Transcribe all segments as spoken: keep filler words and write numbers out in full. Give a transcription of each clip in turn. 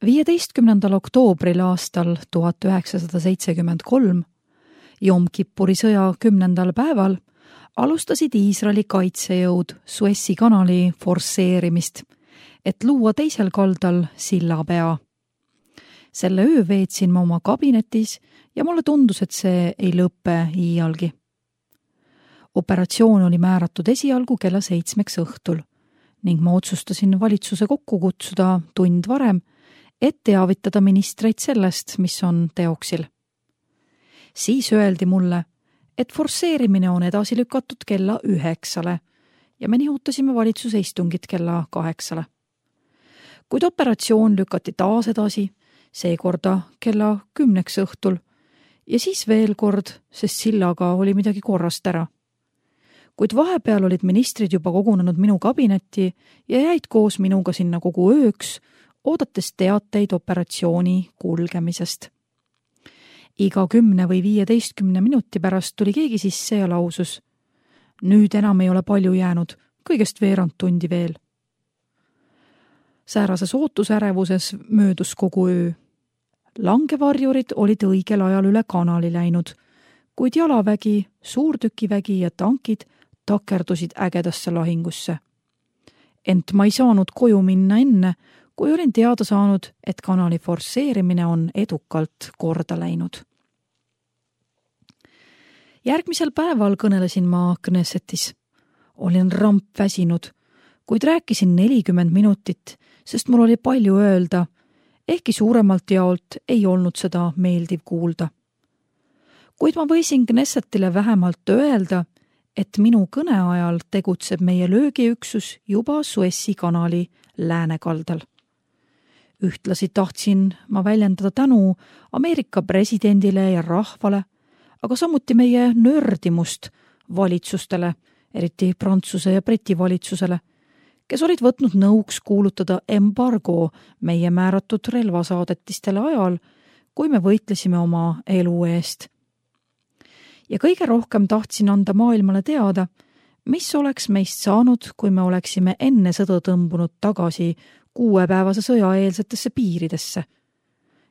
viieteistkümnendal oktoobril aastal tuhat üheksasada seitsekümmend kolm, Jom Kippuri sõja kümnendal päeval, alustasid Iisraeli kaitsejõud Suessi kanali forsseerimist, et luua teisel kaldal sillapea. Selle öö veetsin ma oma kabinetis ja mulle tundus, et see ei lõppe iialgi. Operatsioon oli määratud esialgu kella seitsmeks õhtul ning ma otsustasin valitsuse kokku kutsuda tund varem, et teavitada ministreid sellest, mis on teoksil. Siis öeldi mulle, et forsseerimine on edasi lükatud kella üheksale ja me nihutasime valitsuse istungit kella kaheksale. Kuid operatsioon lükati taas edasi, seekorda kella kümneks õhtul ja siis veel kord, sest sillaga oli midagi korrast ära. Kuid vahepeal olid ministrid juba kogunenud minu kabinetti ja jäid koos minuga sinna kogu ööks, oodates teateid operatsiooni kulgemisest. Iga kümne või viieteistkümne minuti pärast tuli keegi sisse ja lausus. Nüüd enam ei ole palju jäänud, kõigest veerand tundi veel. Säärases ootusärevuses möödus kogu öö. Langevarjurid olid õigel ajal üle kanali läinud, kuid jalavägi, suurtükivägi ja tankid takerdusid ägedasse lahingusse. Ent ma ei saanud koju minna enne, kui olin teada saanud, et kanali forsseerimine on edukalt korda läinud. Järgmisel päeval kõnelesin ma Knessetis. Olin ramp väsinud, kuid rääkisin nelikümmend minutit, sest mul oli palju öelda, ehkki suuremalt jaolt ei olnud seda meeldiv kuulda. Kuid ma võisin Knessetile vähemalt öelda, et minu kõne ajal tegutseb meie löögiüksus juba Suessi kanali läänekaldal. Ühtlasi tahtsin ma väljendada tänu Ameerika presidendile ja rahvale, aga samuti meie nördimust valitsustele, eriti Prantsuse ja Briti valitsusele, kes olid võtnud nõuks kuulutada embargo meie määratud relvasaadetistele ajal, kui me võitlesime oma elu eest. Ja kõige rohkem tahtsin anda maailmale teada, mis oleks meist saanud, kui me oleksime enne sõda tõmbunud tagasi kuuepäevase sõjaeelsetesse piiridesse.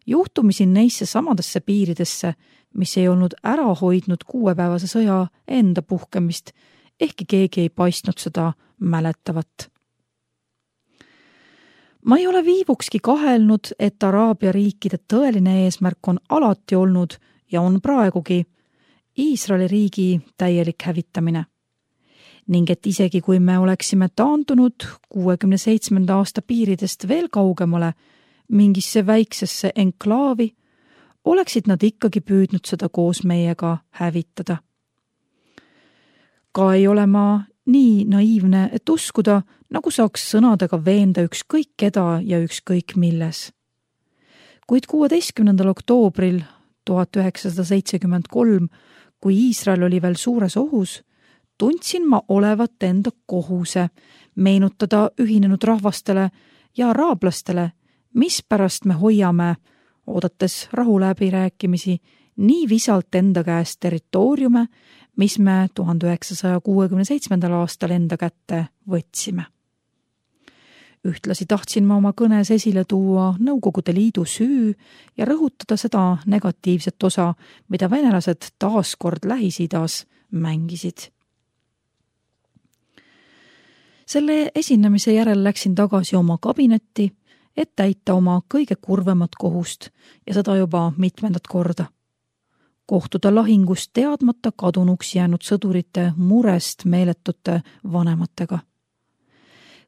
Juhtumisi neisse samadesse piiridesse, mis ei olnud ära hoidnud kuuepäevase sõja enda puhkemist, ehkki keegi ei paistnud seda mäletavat. Ma ei ole viivukski kahelnud, et Araabia riikide tõeline eesmärk on alati olnud ja on praegugi Iisraeli riigi täielik hävitamine. Ning et isegi kui me oleksime taandunud kuuekümne seitsmenda aasta piiridest veel kaugemale mingisse väiksesse enklaavi, oleksid nad ikkagi püüdnud seda koos meiega hävitada. Ka ei ole ma nii naiivne, et uskuda, nagu saaks sõnadega veenda ükskõik keda ja ükskõik milles. Kuid kuueteistkümnendal oktoobril tuhat üheksasada seitsekümmend kolm, kui Iisrael oli veel suures ohus, tundsin ma olevat enda kohuse meenutada ühinenud rahvastele ja araablastele, mispärast me hoiame, oodates rahuläbirääkimisi, nii visalt enda käest territooriume, mis me tuhande üheksasaja kuuekümne seitsmendal aastal enda kätte võtsime. Ühtlasi tahtsin ma oma kõnes esile tuua Nõukogude Liidu süü ja rõhutada seda negatiivset osa, mida venelased taaskord Lähis-Idas mängisid. Selle esinemise järel läksin tagasi oma kabinetti, et täita oma kõige kurvemat kohust ja seda juba mitmendat korda. Kohtuda lahingust teadmata kadunuks jäänud sõdurite murest meeletute vanematega.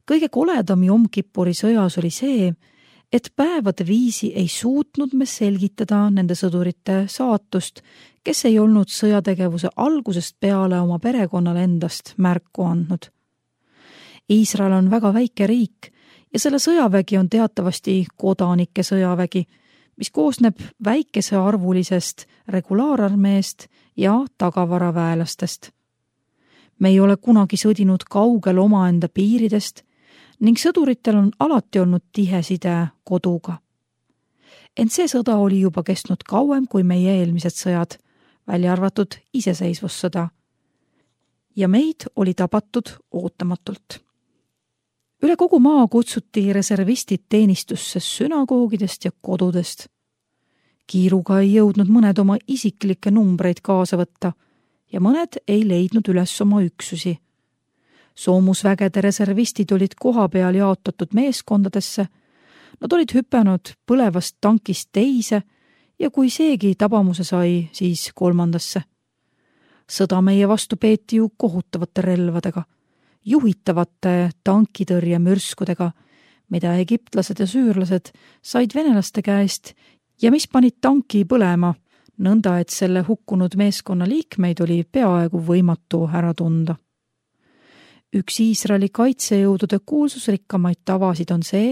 Kõige koledam Jom Kippuri sõjas oli see, et päevade viisi ei suutnud me selgitada nende sõdurite saatust, kes ei olnud sõjategevuse algusest peale oma perekonnale endast märku andnud. Iisrael on väga väike riik ja selle sõjavägi on teatavasti kodanike sõjavägi, mis koosneb väikese arvulisest regulaararmeest ja tagavaraväelastest. Me ei ole kunagi sõdinud kaugel omaenda piiridest ning sõduritel on alati olnud tihe side koduga. Ent see sõda oli juba kestnud kauem kui meie eelmised sõjad, välja arvatud iseseisvussõda. Ja meid oli tabatud ootamatult. Üle kogu maa kutsuti reservistid teenistusse sünagoogidest ja kodudest. Kiiruga ei jõudnud mõned oma isiklikke numbreid kaasa võtta ja mõned ei leidnud üles oma üksusi. Soomusvägede reservistid olid koha peal jaotatud meeskondadesse, nad olid hüpanud põlevast tankist teise ja kui seegi tabamuse sai, siis kolmandasse. Sõda meie vastu peeti ju kohutavate relvadega, juhitavate tankitõrje mürskudega, mida egiptlased ja süürlased said venelaste käest ja mis panid tanki põlema, nõnda et selle hukkunud meeskonna liikmeid oli peaaegu võimatu ära tunda. Üks Iisraeli kaitsejõudude kuulsusrikkamaid tavasid on see,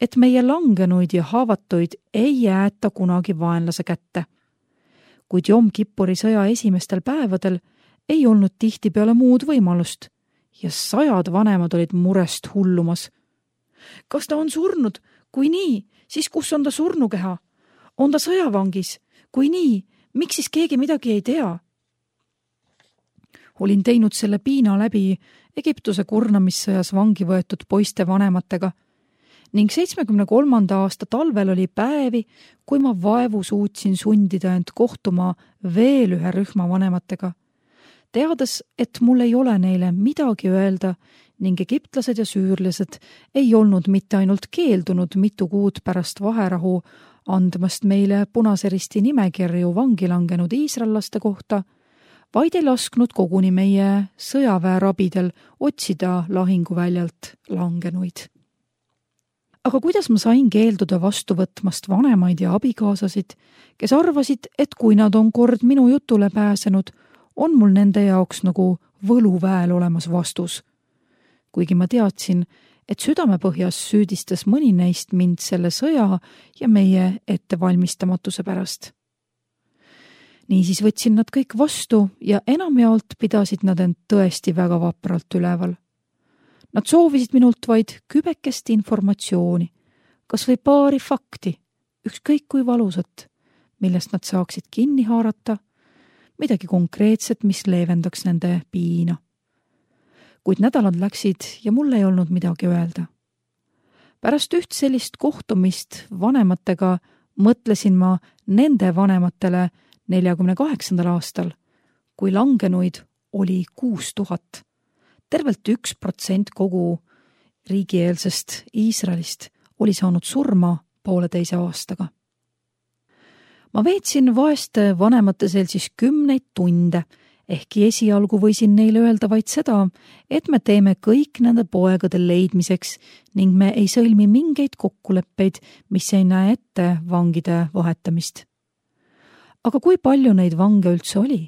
et meie langenuid ja haavatuid ei jäeta kunagi vaenlase kätte. Kuid Jom Kippuri sõja esimestel päevadel ei olnud tihtipeale muud võimalust ja sajad vanemad olid murest hullumas. Kas ta on surnud? Kui nii, siis kus on ta surnukeha? On ta sõjavangis? Kui nii, miks siis keegi midagi ei tea? Olin teinud selle piina läbi Egiptuse kurnamissõjas vangi võetud poiste vanematega ning seitsmekümne kolmanda aasta talvel oli päevi, kui ma vaevu suutsin sundida end kohtuma veel ühe rühma vanematega, teades, et mul ei ole neile midagi öelda ning egiptlased ja süürlased ei olnud mitte ainult keeldunud mitu kuud pärast vaherahu andmast meile Punase Risti nimekirju vangi langenud iisraellaste kohta, vaid ei lasknud koguni meie sõjaväerabidel otsida lahinguväljalt langenuid. Aga kuidas ma sain keelduda vastu võtmast vanemaid ja abikaasasid, kes arvasid, et kui nad on kord minu jutule pääsenud, on mul nende jaoks nagu võluväel olemas vastus. Kuigi ma teadsin, et südamepõhjas süüdistas mõni neist mind selle sõja ja meie ettevalmistamatuse pärast. Niisiis võtsin nad kõik vastu ja enamjaolt pidasid nad end tõesti väga vapralt üleval. Nad soovisid minult vaid kübekest informatsiooni, kas või paari fakti, ükskõik kui valusat, millest nad saaksid kinni haarata, midagi konkreetset, mis leevendaks nende piina. Kuid nädalad läksid ja mul ei olnud midagi öelda. Pärast üht sellist kohtumist vanematega mõtlesin ma nende vanematele neljakümne kaheksandal aastal, kui langenuid oli kuus tuhat. Tervelt üks protsent kogu riigieelsest Iisraelist oli saanud surma pooleteise aastaga. Ma veetsin vaeste vanemate seltsis kümneid tunde, ehkki esialgu võisin neile öelda vaid seda, et me teeme kõik nende poegade leidmiseks ning me ei sõlmi mingeid kokkuleppeid, mis ei näe ette vangide vahetamist. Aga kui palju neid vange üldse oli?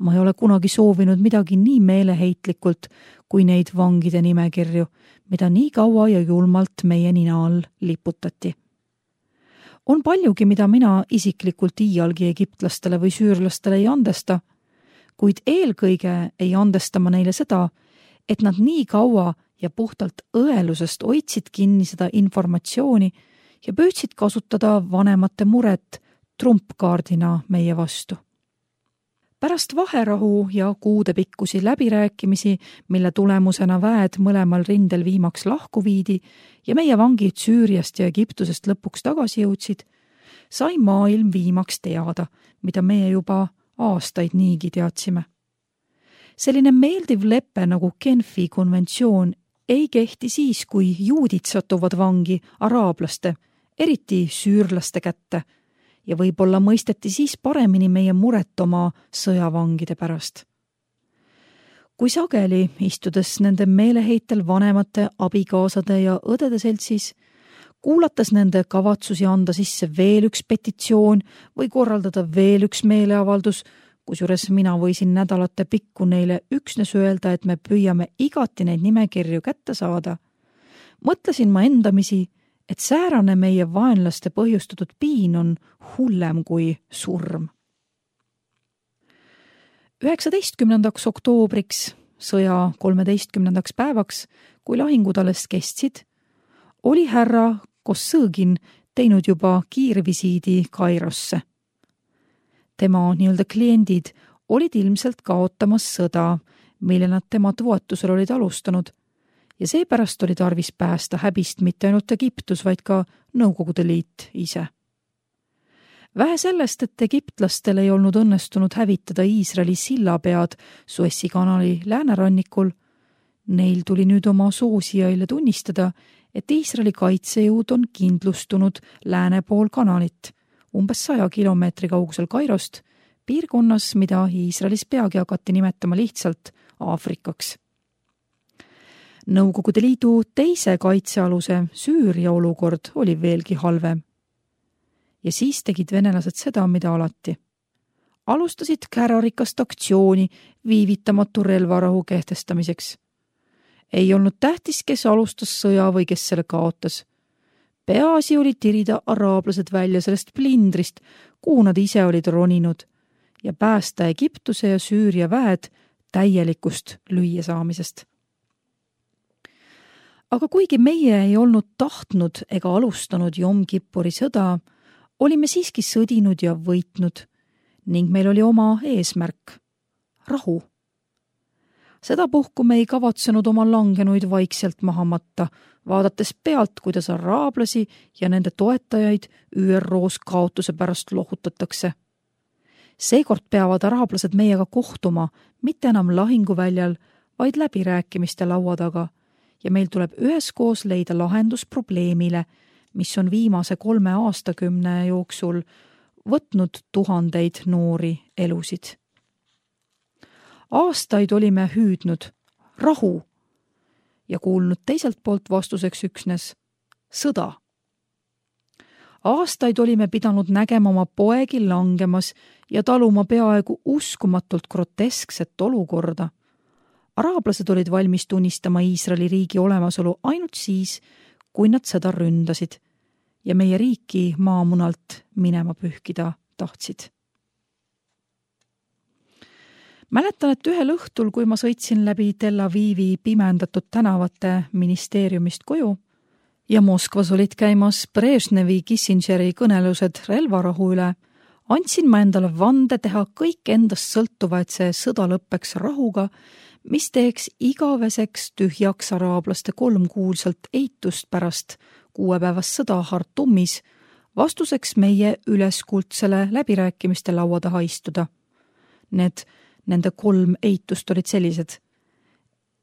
Ma ei ole kunagi soovinud midagi nii meeleheitlikult kui neid vangide nimekirju, mida nii kaua ja julmalt meie nina all liputati. On paljugi, mida mina isiklikult iialgi egiptlastele või süürlastele ei andesta, kuid eelkõige ei andesta ma neile seda, et nad nii kaua ja puhtalt õelusest hoidsid kinni seda informatsiooni ja püüdsid kasutada vanemate muret trumpkaardina meie vastu. Pärast vaherahu ja kuudepikkusi läbirääkimisi, mille tulemusena väed mõlemal rindel viimaks lahku viidi ja meie vangid Süüriast ja Egiptusest lõpuks tagasi jõudsid, sai maailm viimaks teada, mida meie juba aastaid niigi teadsime. Selline meeldiv lepe nagu Genfi konventsioon ei kehti siis, kui juudid satuvad vangi araablaste, eriti süürlaste kätte, ja võib-olla mõisteti siis paremini meie muret oma sõjavangide pärast. Kui sageli, istudes nende meeleheitel vanemate, abikaasade ja õdede seltsis, kuulates nende kavatsusi anda sisse veel üks petitsioon või korraldada veel üks meeleavaldus, kusjuures mina võisin nädalate pikku neile üksnes öelda, et me püüame igati neid nimekirju kätte saada, mõtlesin ma endamisi, et säärane meie vaenlaste põhjustatud piin on hullem kui surm. üheksateistkümnendaks oktoobriks, sõja kolmeteistkümnendaks päevaks, kui lahingud alles kestsid, oli härra Kossõgin teinud juba kiirvisiidi Kairosse. Tema nii-öelda kliendid olid ilmselt kaotamas sõda, mille nad tema toetusel olid alustanud, ja seepärast oli tarvis päästa häbist mitte ainult Egiptus, vaid ka Nõukogude Liit ise. Vähe sellest, et egiptlastel ei olnud õnnestunud hävitada Iisraeli sillapead Suessi kanali läänerannikul, neil tuli nüüd oma soosijaile tunnistada, et Iisraeli kaitsejõud on kindlustunud lääne pool kanalit, umbes saja kilomeetri kaugusel Kairost, piirkonnas, mida Iisraelis peagi hakati nimetama lihtsalt Aafrikaks. Nõukogude Liidu teise kaitsealuse Süüria olukord oli veelgi halvem. Ja siis tegid venelased seda, mida alati. Alustasid kärarikast aktsiooni viivitamatu relvarahu kehtestamiseks. Ei olnud tähtis, kes alustas sõja või kes selle kaotas. Peaasi oli tirida araablased välja sellest plindrist, kuhu nad ise olid roninud, ja päästa Egiptuse ja Süüria väed täielikust lüüasaamisest. Aga kuigi meie ei olnud tahtnud ega alustanud Jom Kippuri sõda, olime siiski sõdinud ja võitnud ning meil oli oma eesmärk – rahu. Sedapuhku me ei kavatsenud oma langenuid vaikselt maha matta, vaadates pealt, kuidas araablasi ja nende toetajaid Ü R O-s kaotuse pärast lohutatakse. Seekord peavad araablased meiega kohtuma, mitte enam lahinguväljal, vaid läbirääkimiste laua taga ja meil tuleb üheskoos leida lahendus probleemile, mis on viimase kolme aastakümne jooksul võtnud tuhandeid noori elusid. Aastaid olime hüüdnud rahu ja kuulnud teiselt poolt vastuseks üksnes sõda. Aastaid olime pidanud nägema oma poegi langemas ja taluma peaaegu uskumatult groteskset olukorda. Araablased olid valmis tunnistama Iisraeli riigi olemasolu ainult siis, kui nad seda ründasid ja meie riiki maamunalt minema pühkida tahtsid. Mäletan, et ühel õhtul, kui ma sõitsin läbi Tel Avivi pimendatud tänavate ministeeriumist koju ja Moskvas olid käimas Brežnevi Kissingeri kõnelused relvarahu üle, andsin ma endale vande teha kõik endast sõltuva, et see sõda lõppeks rahuga, mis teeks igaveseks tühjaks araablaste kolmkuulsalt eitust pärast kuuepäevast sõda Hartumis, vastuseks meie üleskuldsele läbirääkimiste laua taha istuda. Need Nende kolm eitust olid sellised.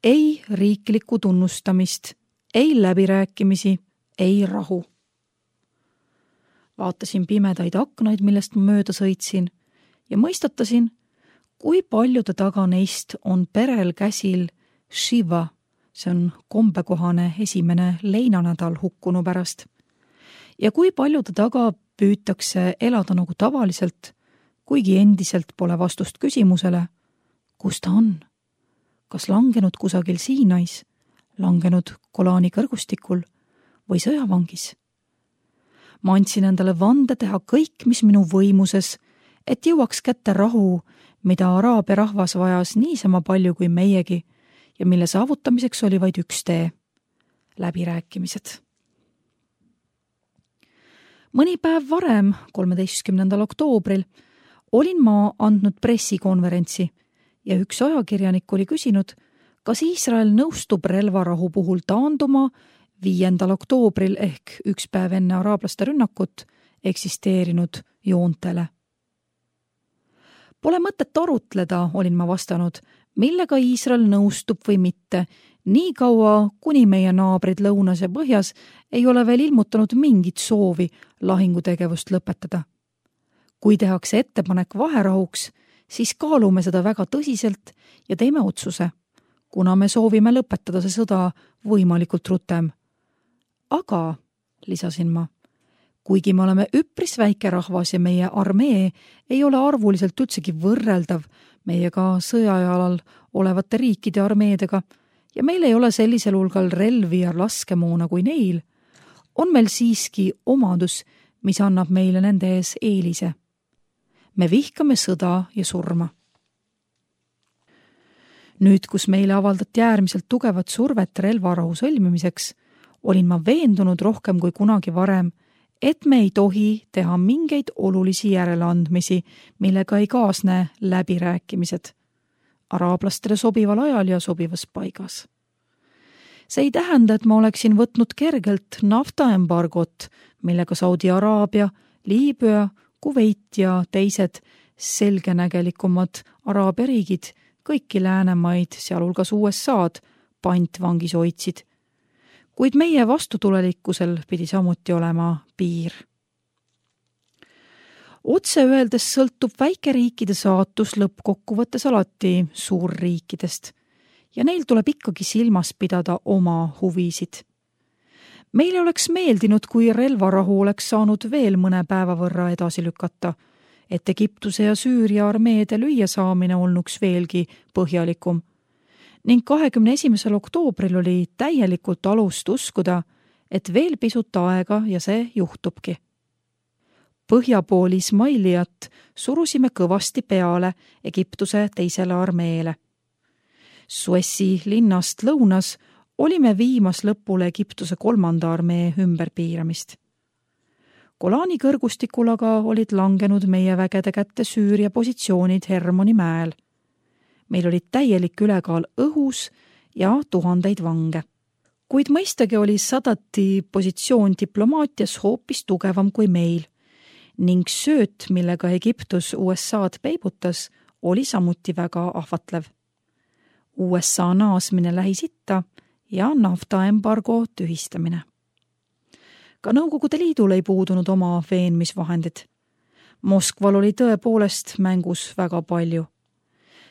Ei riiklikku tunnustamist, ei läbirääkimisi, ei rahu. Vaatasin pimedaid aknaid, millest ma mööda sõitsin ja mõistatasin, kui paljude taga neist on perel käsil Shiva, see on kombekohane esimene leinanädal hukkunu pärast. Ja kui paljude taga püütakse elada nagu tavaliselt, kuigi endiselt pole vastust küsimusele, kus ta on? Kas langenud kusagil Siinais, langenud Golani kõrgustikul või sõjavangis? Ma andsin endale vande teha kõik, mis minu võimuses, et jõuaks kätte rahu, mida araabia rahvas vajas niisama palju kui meiegi ja mille saavutamiseks oli vaid üks tee – läbirääkimised. Mõni päev varem, kolmeteistkümnendal oktoobril, olin ma andnud pressikonverentsi ja üks ajakirjanik oli küsinud, kas Iisrael nõustub relvarahu puhul taanduma viiendal oktoobril ehk üks päev enne araablaste rünnakut eksisteerinud joontele. Pole mõtet arutleda, olin ma vastanud, millega Iisrael nõustub või mitte, nii kaua, kuni meie naabrid lõunas ja põhjas ei ole veel ilmutanud mingit soovi lahingutegevust lõpetada. Kui tehakse ettepanek vaherahuks, siis kaalume seda väga tõsiselt ja teeme otsuse, kuna me soovime lõpetada see sõda võimalikult rutem. Aga, lisasin ma, kuigi me oleme üpris väike rahvas ja meie armee ei ole arvuliselt üldsegi võrreldav meiega sõjajalal olevate riikide armeedega ja meil ei ole sellisel hulgal relvi ja laskemoona kui neil, on meil siiski omadus, mis annab meile nende ees eelise. Me vihkame sõda ja surma. Nüüd, kus meile avaldati äärmiselt tugevat survet relvarahu sõlmimiseks, olin ma veendunud rohkem kui kunagi varem, et me ei tohi teha mingeid olulisi järeleandmisi, millega ei kaasne läbirääkimised. Araablastele sobival ajal ja sobivas paigas. See ei tähenda, et ma oleksin võtnud kergelt naftaembargot, millega Saudi Araabia, Liibüa, Kuveit ja teised selgenägelikumad Araabia riigid kõiki läänemaid, sealhulgas U S A-d, pantvangis hoidsid. Kuid meie vastutulelikkusel pidi samuti olema piir. Otse öeldes sõltub väikeriikide saatus lõppkokkuvõttes alati suurriikidest ja neil tuleb ikkagi silmas pidada oma huvisid. Meile oleks meeldinud, kui relvarahu oleks saanud veel mõne päeva võrra edasi lükata, et Egiptuse ja Süüria armeede lüüa saamine olnuks veelgi põhjalikum. Ning kahekümne esimesel oktoobril oli täielikult alust uskuda, et veel pisut aega ja see juhtubki. Põhja pool Ismailijat surusime kõvasti peale Egiptuse teisele armeele. Suessi linnast lõunas olime viimas lõpule Egiptuse kolmanda armee ümberpiiramist. Golani kõrgustikul aga olid langenud meie vägede kätte Süüria positsioonid Hermoni mäel. Meil olid täielik ülekaal õhus ja tuhandeid vange. Kuid mõistagi oli Sadati positsioon diplomaatias hoopis tugevam kui meil ning sööt, millega Egiptus U S A-d peibutas, oli samuti väga ahvatlev. U S A naasmine Lähis-Itta ja naftaembargo tühistamine. Ka Nõukogude Liidul ei puudunud oma veenmisvahendid. Moskval oli tõepoolest mängus väga palju.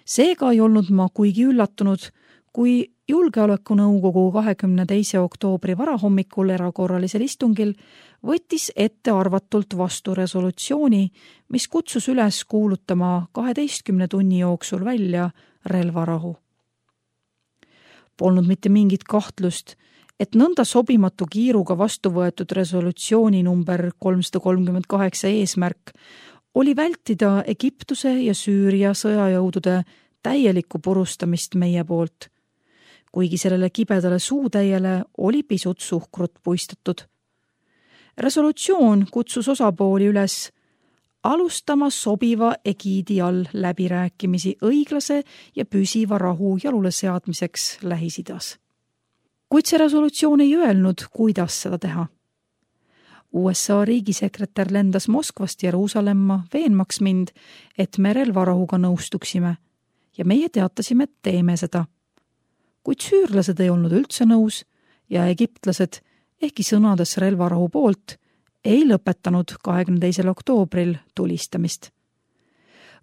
Seega ei olnud ma kuigi üllatunud, kui Julgeolekunõukogu kahekümne teise oktoobri varahommikul erakorralisel istungil võttis ette arvatult vastu resolutsiooni, mis kutsus üles kuulutama kaheteistkümne tunni jooksul välja relvarahu. Polnud mitte mingit kahtlust, et nõnda sobimatu kiiruga vastu võetud resolutsiooni number kolmsada kolmkümmend kaheksa eesmärk oli vältida Egiptuse ja Süüria sõjajõudude täielikku purustamist meie poolt, kuigi sellele kibedale suutäiele oli pisut suhkrut puistatud. Resolutsioon kutsus osapooli üles alustama sobiva egiidi all läbirääkimisi õiglase ja püsiva rahu jalule seadmiseks Lähis-Idas. Kuid see resolutsioon ei öelnud, kuidas seda teha. U S A riigisekretär lendas Moskvast Jeruusalemma veenmaks mind, et me relvarahuga nõustuksime ja meie teatasime, et teeme seda. Kuid süürlased ei olnud üldse nõus ja egiptlased, ehkki sõnades relvarahu poolt, ei lõpetanud kahekümne teisel oktoobril tulistamist.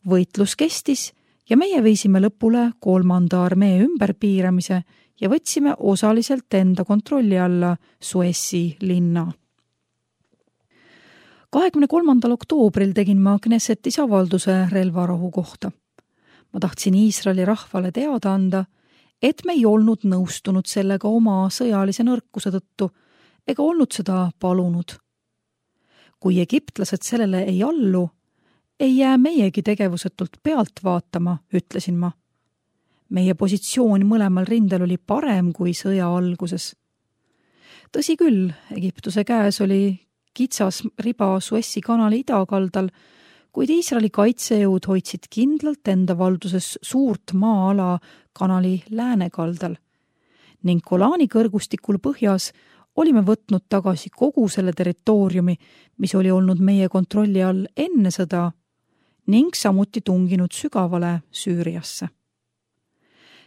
Võitlus kestis ja meie viisime lõpule kolmanda armee ümberpiiramise ja võtsime osaliselt enda kontrolli alla Suessi linna. kahekümne kolmandal oktoobril tegin ma Knessetis avalduse relvarahu kohta. Ma tahtsin Iisraeli rahvale teada anda, et me ei olnud nõustunud sellega oma sõjalise nõrkuse tõttu ega olnud seda palunud. Kui egiptlased sellele ei allu, ei jää meiegi tegevusetult pealt vaatama, ütlesin ma. Meie positsioon mõlemal rindel oli parem kui sõja alguses. Tõsi küll, Egiptuse käes oli kitsas riba Suessi kanali idakaldal, kuid Iisraeli kaitsejõud hoidsid kindlalt enda valduses suurt maa-ala kanali läänekaldal ning Golani kõrgustikul põhjas olime võtnud tagasi kogu selle territooriumi, mis oli olnud meie kontrolli all enne sõda ning samuti tunginud sügavale Süüriasse.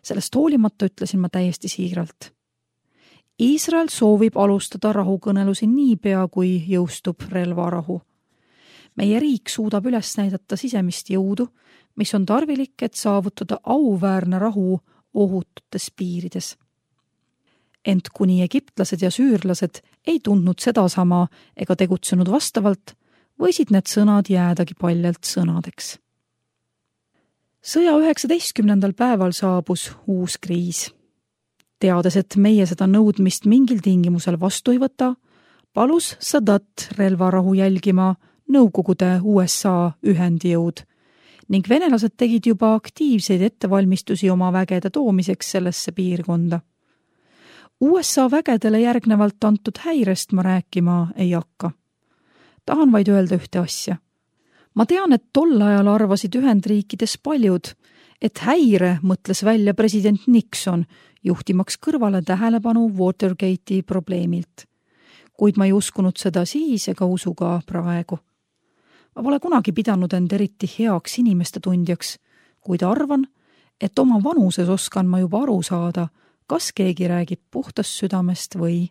Sellest hoolimata ütlesin ma täiesti siiralt. Iisrael soovib alustada rahukõnelusi niipea, kui jõustub relvarahu. Meie riik suudab üles näidata sisemist jõudu, mis on tarvilik, et saavutada auväärne rahu ohututes piirides. Ent kuni egiptlased ja süürlased ei tundnud sedasama ega tegutsenud vastavalt, võisid need sõnad jäädagi paljalt sõnadeks. Sõja üheksateistkümnendal päeval saabus uus kriis. Teades, et meie seda nõudmist mingil tingimusel vastu ei võta, palus Sadat relvarahu jälgima Nõukogude U S A ühendjõud ning venelased tegid juba aktiivseid ettevalmistusi oma vägede toomiseks sellesse piirkonda. U S A vägedele järgnevalt antud häirest ma rääkima ei hakka. Tahan vaid öelda ühte asja. Ma tean, et tol ajal arvasid Ühendriikides paljud, et häire mõtles välja president Nixon, juhtimaks kõrvale tähelepanu Watergate'i probleemilt. Kuid ma ei uskunud seda siis ega usu ka praegu. Ma pole kunagi pidanud end eriti heaks inimeste tundjaks, kuid arvan, et oma vanuses oskan ma juba aru saada, kas keegi räägib puhtast südamest või